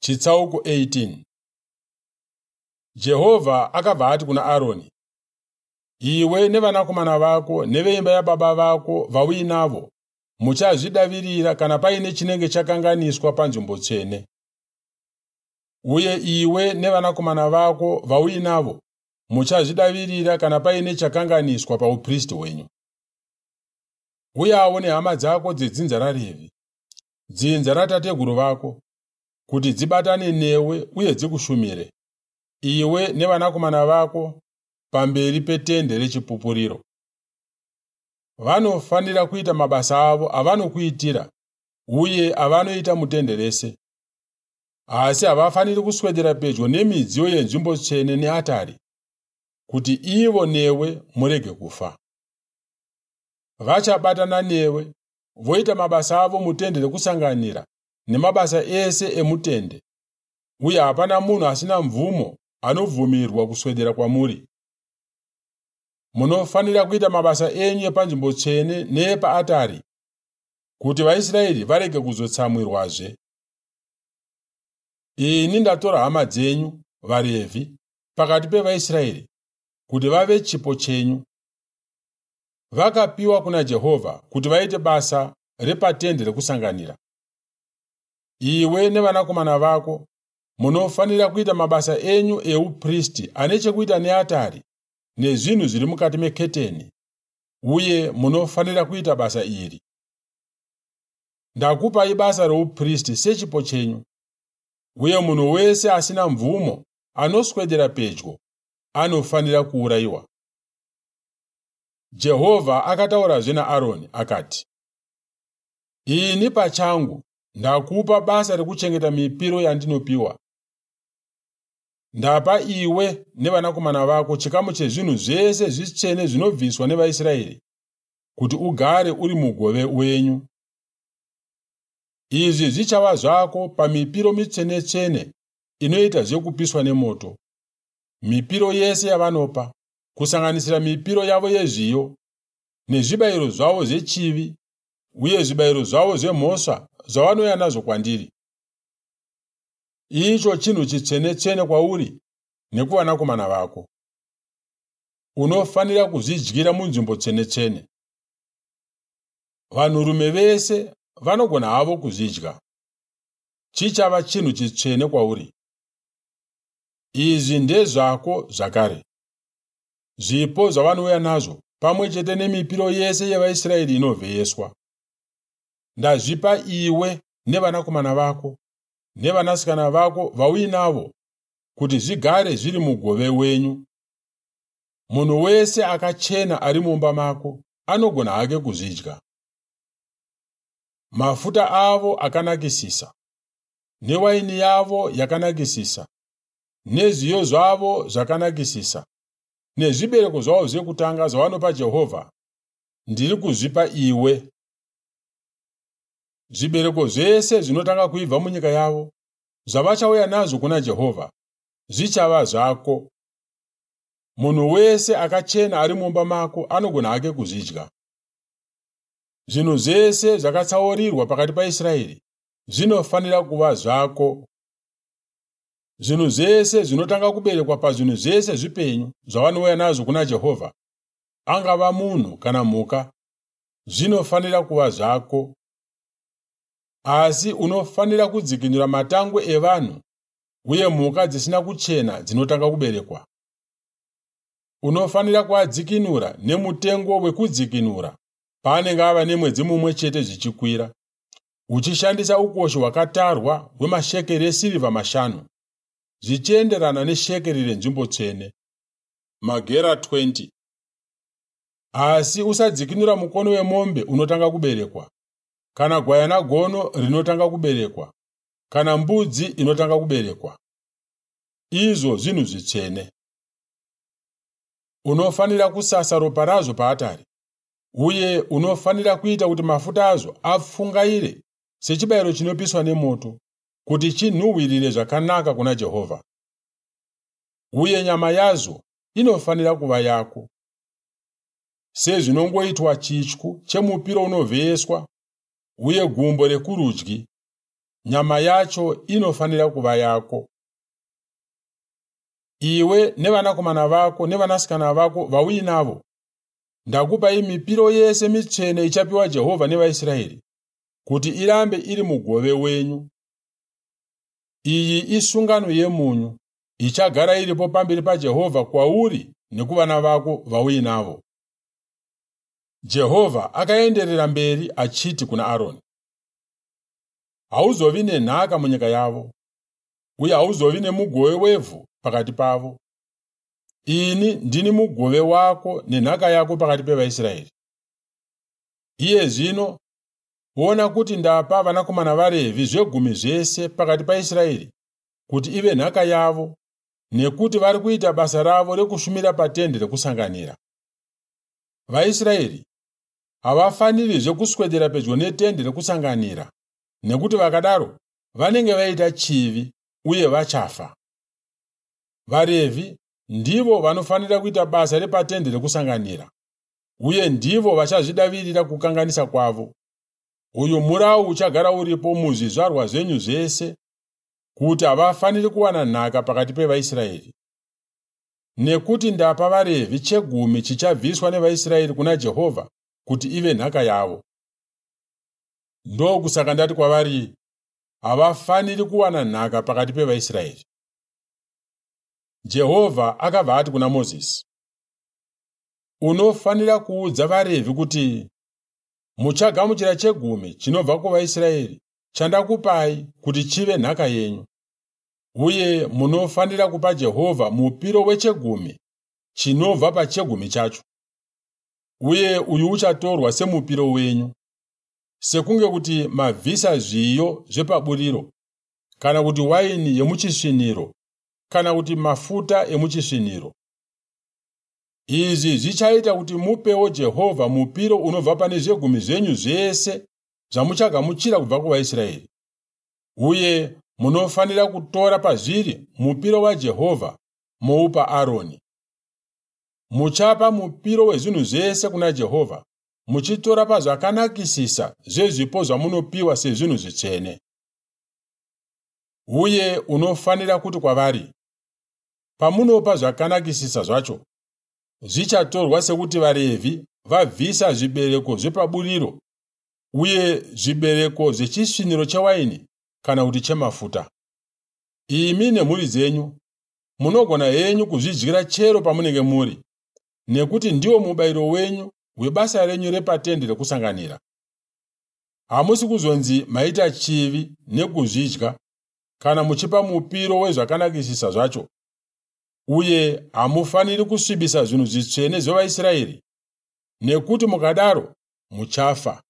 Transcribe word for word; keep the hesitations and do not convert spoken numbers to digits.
Chitsauko eighteen. Jehovha akabva ati kuna Aroni, "Iwe nevanakomana vako neveimba yababa vako vauinavo muchazvidavirira kana paine chinenge chakanganiswa panzvimbo tsvene. Uye iwe nevanakomana vako vauinavo muchazvidavirira kana paine chakanganiswa paupristi hwenyu. Uyawo nehama dzako dzedzinza raRevhi, dzinza ratateguru vako, kuti dzibatane newe uye dzikushumire, iwe nevanakomana vako pamberi petende rechipupuriro. Vanofanira kuita mabasa avo avanokuitira uye avanoita mutende rese. Asi havafaniri kuswedera pedyo nemidziyo yenzvimbo tsvene neatari, kuti ivo newe murege kufa. Vachabatana newe voita mabasa avo mutende rekusanganira nemabasa ese emutende, uye hapana munhu asina mvumo anobvumirwa kuswedera kwamuri. Munofanira kuita mabasa enyu epanzvimbo tsvene neepaatari, kuti vaIsraeri varege kuzotsamwirwazve. Ini ndatora hama dzenyu, vaRevhi, pakati pevaIsraeri kuti vave chipo chenyu. Vakapiwa kuna Jehovha kuti vaite basa repatende rekusanganira. Iwe nevanakomana vako munofanira kuita mabasa enyu eupristi ane chekuita neatari nezvinhu zviri mukati meketeni, uye munofanira kuita basa iri. Ndakupai basa roupristi sechipo chenyu, uye munhu wese asina mvumo anoswedera pedyo anofanira kuurayiwa." Jehovha akataurazve naAroni akati, "Ini pachangu ndakupa basa rekuchengeta mipiro yandinopiwa. Ndapa iwe nevanakomana vako chikamu chezvinhu zvese zvitsvene zvinobviswa nevaIsraeri kuti ugare uri mugove wenyu. Izvi zvichava zvako pamipiro mitsvene-tsvene inoita zvekupiswa nemoto, mipiro yese yavanopa, kusanganisira mipiro yavo yezviyo, nezvibayiro zvavo zvechivi uye zvibayiro zvavo zvemhosva zvavanouya nazvo kwandiri. Icho chinhu chitsvene-tsvene kwauri nekuvanakomana vako. Unofanira kuzvidyira munzvimbo tsvene-tsvene. Vanhurume vese vanogona havo kuzvidya. Chichava chinhu chitsvene kwauri. Izvi ndezvako zvakare. Zvipo zvavanouya nazvo pamwe chete nemipiro yese yevaIsraeri inovheyeswa. Ndazvipa iwe nevanakomana vako nevanasikana vako vauinavo kuti zvigare zviri mugove wenyu. Munhu wese akachena ari mumba mako anogona hake kuzvidya. Mafuta avo akanakisisa, newaini yavo yakanakisisa, nezviyo zvavo zvakanakisisa, nezvibereko zvavo zvekutanga zvavanopa Jehovha, ndiri kuzvipa iwe. Zvibereko zvese zvinotanga kuibva munyika yavo, zvavachauya nazvo kuna Jehovha, zvichava zvako. Munhu wese akachena ari mumba mako anogona hake kuzvidya. Zvinhu zvese zvakatsaurirwa pakati paIsraeri zvinofanira kuva zvako. Zvinhu zvese zvinotanga kuberekwa pazvinhu zvese zvipenyu zvavanouya nazvo kuna Jehovha, angava munhu kana mhuka, zvinofanira kuva zvako. Asi unofanira kudzikinura matangwe evanhu uye mhuka dzisina kuchena dzinotanga kuberekwa. Unofanira kuadzikinura nemutengo wekudzikinura paanenge ava nemwedzi mumwe chete zvichikwira, uchishandisa ukoshi hwakatarwa hwemashekeri esirivha mashanu, zvichienderana neshekeri renzvimbo tsvene, magera twenty. Asi usadzikinura mukono wemombe unotanga kuberekwa, kana gwayana gono rinotanga kuberekwa, kana mbudzi inotanga kuberekwa. Izvo zvinhu zvitsvene. Unofanira kusasa ropa razvo paatari, uye unofanira kuita kuti mafuta azvo apfungaire sechibayiro chinopiswa nemoto, kuti chinhuhwirire zvakanaka kuna Jehovha. Uye nyama yazvo inofanira kuva yako. Sezvinongoitwa chityu chemupiro unovheyeswa uye gumbo rekurudyi, Nyama yacho inofanira kuva yako. Iwe nevanakomana vako nevanasikana vako vauinavo, ndakupai mipiro yese mitsvene ichapiwa Jehovha nevaIsraeri kuti irambe iri mugove wenyu. Iyi isungano yemunyu ichagara iripo pamberi paJehovha kwauri nekuvana vako vauinavo. Jehovha akaenderera mberi achiti kuna Aroni, hauzovi nenhaka munyika yavo, uye hauzovi nemugove wevhu pakati pavo. Ini ndini mugove wako nenhaka yako pakati pevaIsraeri. Iye zvino ona kuti ndapa vanakomana vaRevhi zvegumi zvese pakati paIsraeri kuti ive nhaka yavo, nekuti vari kuita basa ravo rekushumira patende rekusanganira. VaIsraeri havafanirizve kuswedera pedyo netende rekusanganira, nekuti vakadaro vanenge vaita chivi uye vachafa. VaRevhi ndivo vanofanira kuita basa repatende rekusanganira, uye ndivo vachazvidavirira kukanganisa kwavo. Uyu murau uchagara uripo muzvizvarwa zvenyu zvese, kuti havafaniri kuwana nhaka pakati pevaIsraeri. Nekuti ndapa vaRevhi chegumi chichabviswa nevaIsraeri kuna Jehovha kuti ive nhaka yavo. Ndokusaka ndati kwavari, havafaniri kuwana nhaka pakati pevaIsraeri. Jehovha akabva ati kuna Mozisi, unofanira kuudza vaRevhi kuti muchagamuchira chegumi chinobva kuvaIsraeri chandakupai kuti chive nhaka yenyu, uye munofanira kupa Jehovha mupiro wechegumi chinobva pachegumi chacho, uye uyu uchatorwa semupiro wenyu, sekunge kuti mabvisa zviyo zvepaburiro, kana kuti waini yemuchisviniro, kana kuti mafuta emuchisviniro. Izvi zvichaita kuti mupewo Jehovha mupiro unobva pane zvegumi zvenyu zvese zvamuchagamuchira kubva kuvaIsraeri, uye munofanira kutora pazviri mupiro waJehovha moupa Aroni. Muchapa mupiro wezvinhu zvese kuna Jehovha, muchitora pazvakanakisisa zvezvipo zvamunopiwa sezvinhu zvitsvene. Uye unofanira kuti kwavari, pamunopa zvakanakisisa zvacho, zvichatorwa sekuti vaRevhi vabvisa zvibereko zvepaburiro uye zvibereko zvechisviniro chewaini kana kuti chemafuta. Imi nemhuri dzenyu munogona henyu kuzvidyira chero pamunenge muri, nekuti ndiwo mubayiro wenyu webasa renyu repatende rekusanganira. Hamusi kuzonzi maita chivi nekuzvidya kana muchipa mupiro wezvakanakisisa zvacho, uye hamufaniri kusvibisa zvinhu zvitsvene zvevaIsraeri, nekuti mukadaro muchafa.